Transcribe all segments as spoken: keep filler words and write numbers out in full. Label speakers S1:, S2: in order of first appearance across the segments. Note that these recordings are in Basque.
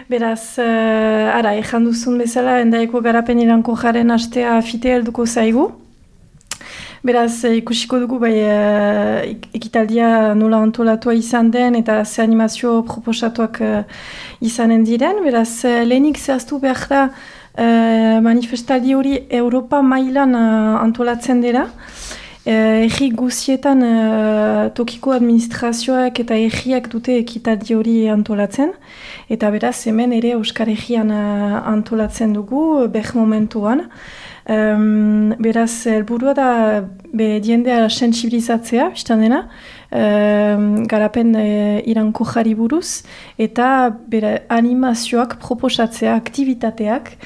S1: Beraz, uh, ara, ejan duzun bezala, Hendaiko Garapen Iraunkorraren astea fite helduko zaigu. Beraz, ikusiko dugu bai uh, ekitaldia nola antolatua izan den eta ze animazio proposatuak uh, izanen diren. Beraz, uh, lehenik zehaztu behar da uh, manifestaldi hori Europa mailan uh, antolatzen dira. Uh, Egi guzietan uh, tokiko administrazioak eta egiak dute ekitaldi hori antolatzen. Eta beraz, hemen ere Euskal Herrian uh, antolatzen dugu, beh momentuan. Um, beraz, helburua da be, diendea sentsibilizatzea, biztan dena, um, garapen e, iraunkorrari buruz, eta bera, animazioak proposatzea, aktivitateak,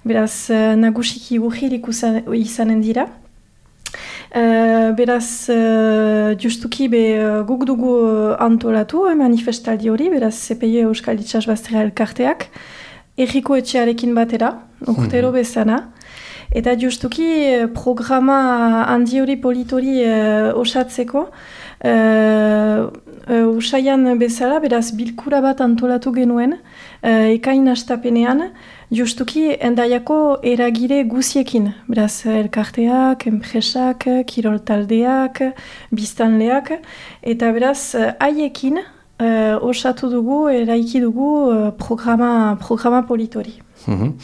S1: beraz, nagusiki urririk izanen dira. Uh, beraz, uh, justuki be, guk dugu antolatu eh, manifestaldi hori, beraz, Z P I Euskal Itsasbazterra elkarteak, erriko etxearekin batera, urtero bezana. Eta justuki programa handi hori politori uh, osatzeko, uh, uh, usaian bezala, beraz bilkura bat antolatu genuen, uh, ekain astapenean, justuki Hendaiako eragile guziekin, beraz elkarteak, enpresak, kirol taldeak, biztanleak, eta beraz haiekin uh, osatu dugu, eraiki dugu uh, programa, programa politori.
S2: Mm-hmm.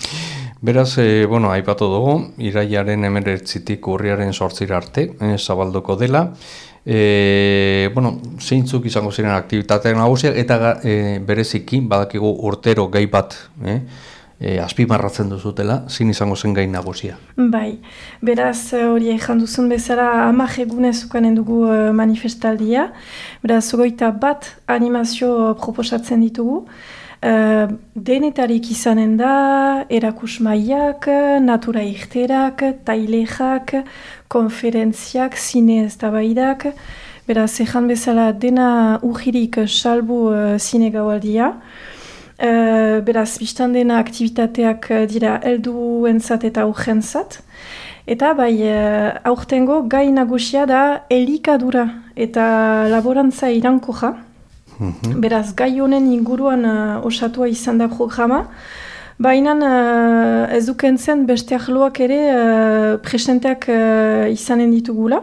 S2: Beraz, e, bueno, aipatu dugu, irailaren hemeretzitik urriaren zortzira arte, e, zabalduko dela. E, bueno, zeintzuk izango ziren aktibitateak nagusiak, eta e, bereziki, badakigu urtero gai bat, e, e, azpimarratzen duzutela, zein izango zen gai nagusia.
S1: Bai, beraz, hori ejan duzun bezala, hamar egunez ukanen dugu manifestaldia, beraz, hogeita bat animazio proposatzen ditugu. Uh, denetarik izanen da, erakusmaiak, natura irterak, tailexak, konferentziak, zine eztabaidak, beraz, ejan bezala dena urririk salbu uh, zine gaualdia. Uh, beraz, biztan dena aktivitateak dira helduentzat eta aurrentzat. Eta bai, uh, aurtengo gai nagusia da elikadura eta laborantza iraunkorra. Beraz, gai honen inguruan uh, osatua izan da programa, baina uh, ez dukentzen beste arloak ere uh, presenteak uh, izanen ditugula.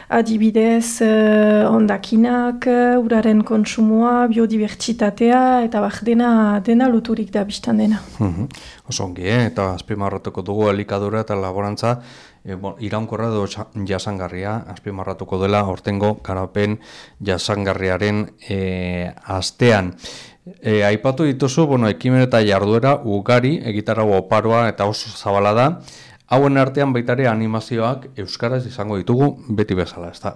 S1: Adibidez, uh, hondakinak, uh, uraren kontsumoa, biodibertsitatea, eta bak dena, dena loturik da biztan dena.
S2: Mm-hmm. Osongi, eh? Eta azpimarratuko dugu elikadura eta laborantza, E, bon, iraunkorra edo jasangarria, azpimarratuko dela aurtengo garapen jasangarriaren e, astean. E, aipatu dituzu, bueno, ekimen eta jarduera ugari, egitarau oparoa eta oso zabala da. Hauen artean baitare animazioak euskaraz izango ditugu beti bezala, ez da?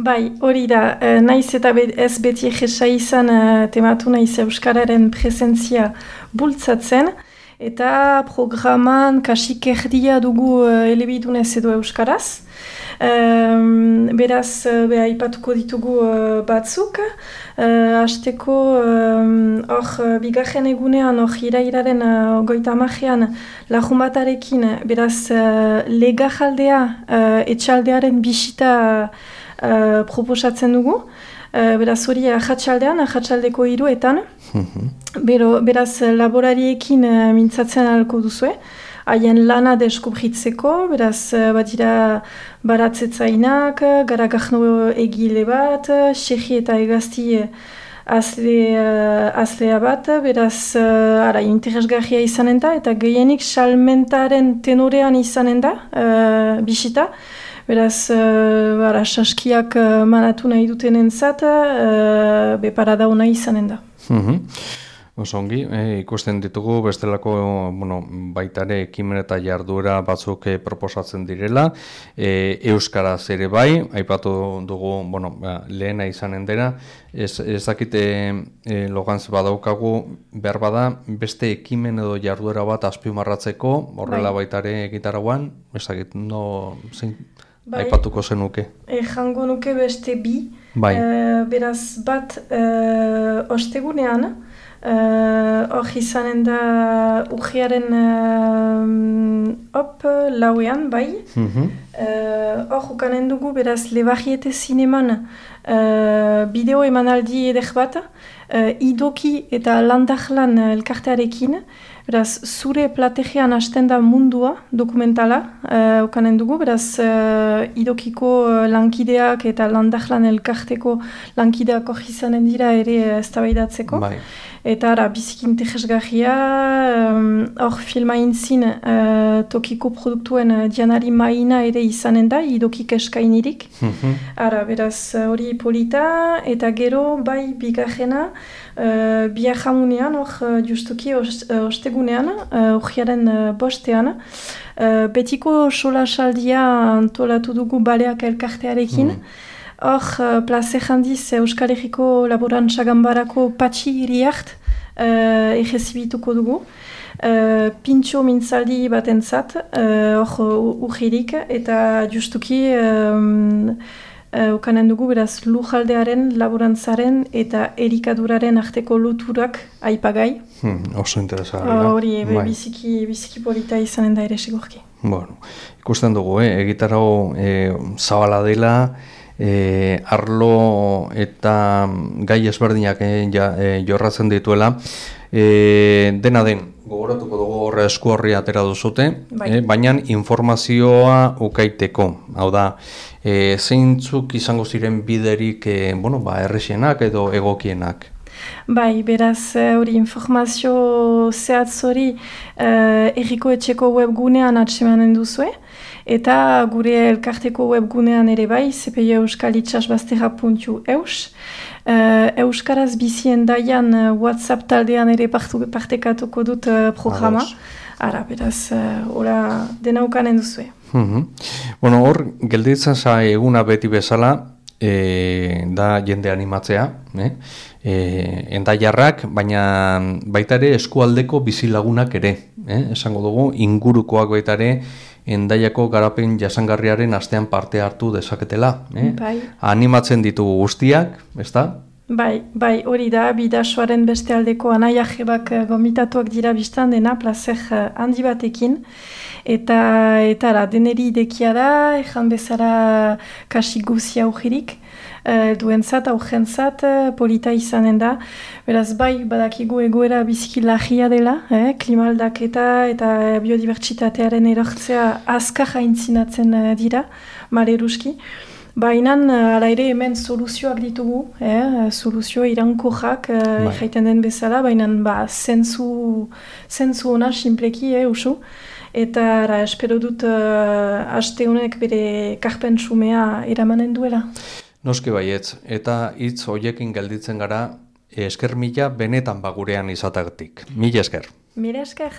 S1: Bai, hori da, e, naiz eta be, ez beti egesa izan e, tematu naiz euskararen presentzia bultzatzen, eta programan kasik erdia dugu uh, elebidunez edo euskaraz. Um, beraz, uh, aipatuko ditugu uh, batzuk. Uh, Azteko, hor, um, bigarren egunean, hor, irairaren uh, goita amajean, lajumatarekin, beraz, uh, legajaldea, uh, etxaldearen bisita uh, proposatzen dugu. Uh, beraz, hori ahatsaldean, ahatsaldeko hiruetan. Bero, beraz, laborariekin uh, mintzatzen ahalko duzue, haien lana deskubritzeko, beraz, uh, badira baratzetzainak, garagahno egile bat, xerri eta egazti azle, uh, azlea bat, beraz, uh, ara, interesgarria izanen da, eta gehienik salmentaren tenorean izanen da, uh, bisita. Beraz, uh, bara, saskiak uh, manatu nahi duten entzat, uh, beparada hona izanen da.
S2: Mm-hmm. Osongi, e, ikusten ditugu bestelako bueno, baitare ekimen eta jarduera batzuk e, proposatzen direla, e, euskaraz ere bai, aipatu dugu bueno, ba, lehena izanen dena, ez, ez dakite e, logantz badaukagu behar bada beste ekimen edo jarduera bat azpimarratzeko, horrela bai. Baitare egitaragoan, ez dakit, no, zein, bai. Aipatuko zenuke.
S1: Ejango nuke beste bi,
S2: bai.
S1: e, beraz bat e, ostegunean, hor uh, izanen da urriaren uh, op, lauean, bai. Mm-hmm. Hor uh, ukanen dugu, beraz, Lebarriete zineman uh, bideo emanaldi eder bat, uh, idoki eta landahlan elkartearekin, beraz, zure plategian hasten da mundua dokumentala, uh, okanen dugu, beraz, uh, idokiko uh, lankideak eta landahlan elkarteko lankideak hori izanen dira ere eztabaidatzeko. Bai. Eta ara, biziki interesgarria, hor um, filma intzin uh, tokiko produktuen uh, Dianari Maina ere izanen da, idokik eskainirik. Mm-hmm. Ara, beraz, hori polita, eta gero, bai, bigarrena, uh, biajamunean, hor, uh, justuki ostegunean, horiaren uh, uh, bostean, uh, betiko solasaldia antolatu dugu baleak elkartearekin, mm. Hor, uh, plaze handiz Euskal Herriko Laborantza Ganbarako patxi iriart uh, egezibituko dugu. Uh, pintxo mintzaldi batentzat, hor uh, urgirik, eta justuki um, uh, ukanen dugu, beraz, lujaldearen, laborantzaren eta erikaduraren arteko loturak aipagai.
S2: Hmm, oso interesgarria.
S1: Hori, uh, biziki, biziki polita izanen da ere segurki.
S2: Bueno, ikusten dugu, eh? Egitarau eh, zabala dela, E, arlo eta gai ezberdinak e, ja, e, jorratzen dituela, e, dena den gogoratuko dugu horre esku horri atera duzute, bai. e, baina informazioa ukaiteko, hau da, e, zeintzuk izango ziren biderik e, bueno, ba, errexenak edo egokienak?
S1: Bai, beraz, hori informazio zehatz hori uh, Herriko Etxeko webgunean atsemanen duzue, eta gure elkarteko webgunean ere bai, z p i euskal itsasbazterra puntu eus. Uh, Euskaraz bizien daian uh, WhatsApp taldean ere partu, partekatuko dut uh, programa. Ados. Ara, beraz, ora uh, denaukanen duzue.
S2: Mm-hmm. Bueno, hor, gelditzen za eguna beti bezala, e, da jende animatzea, eh? E, endaiarrak, baina baita ere eskualdeko bizilagunak ere, eh? Esango dugu, ingurukoak baita ere, Endaiako garapen jasangarriaren astean parte hartu dezaketela. Eh? Bai. Animatzen ditugu guztiak, ezta?
S1: Bai, bai, hori da, bidasoaren beste aldeko anaiajebak gomitatuak dira biztan dena, plazer handi batekin. Eta, eta ara, deneri idekia da, ejan bezala kasi guzia augirik. Uh, duentzat, augentzat, polita izanen da. Beraz, bai, badakigu egoera biziki lagia dela, eh? Klimaldaketa eta biodibertsitatearen erortzea azkar haintzinatzen uh, dira, maleruski. Baina, ala ere hemen soluzioak ditugu, eh? Soluzio irankorrak uh, jaiten den bezala, baina ba, zentzu, zentzu ona sinpleki, eh, usu. Eta ara, espero dut uh, aste honek bere karpen sumea eramanen duela.
S2: Noski baietz, eta hitz hoiekin gelditzen gara, esker mila benetan bagurean izatagatik. Mila esker.
S1: Mila esker.